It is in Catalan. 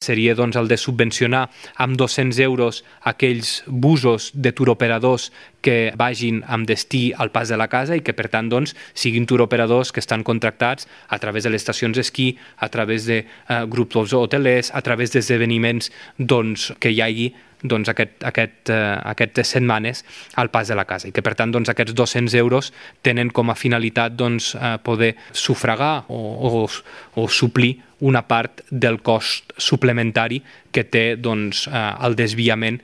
seria doncs, el de subvencionar amb 200 euros aquells busos de turoperadors que vagin amb destí al Pas de la Casa i que, per tant, doncs, siguin turoperadors que estan contractats a través de les estacions d'esquí, a través de grups hotelers, a través d'esdeveniments doncs, que hi hagi doncs, aquestes setmanes al Pas de la Casa i que, per tant, doncs, aquests 200 euros tenen com a finalitat doncs, poder sufragar o suplir una part del cost suplementari que té doncs, el desviament